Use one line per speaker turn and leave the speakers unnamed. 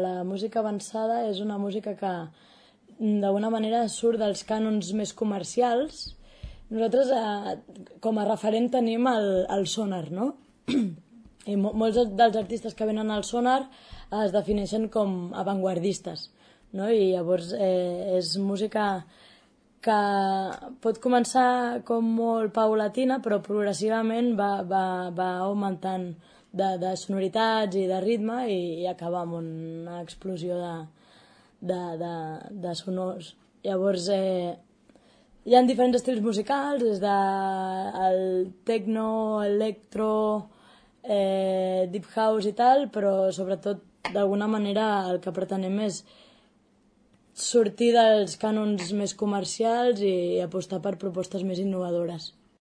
La música avançada és una música que d'alguna manera surt dels cànons més comercials. Nosaltres com a referent tenim el Sonar, no? I molts dels artistes que venen al Sonar es defineixen com avantguardistes, no? I llavors és música que pot començar com molt paulatina, però progressivament va augmentant de sonoritats i de ritme i acaba amb una explosió de sonors. Llavors hi ha diferents estils musicals, des del techno, electro, deep house i tal, però sobretot d'alguna manera el que pretenem és sortir dels cànons més comercials i apostar per propostes més innovadores.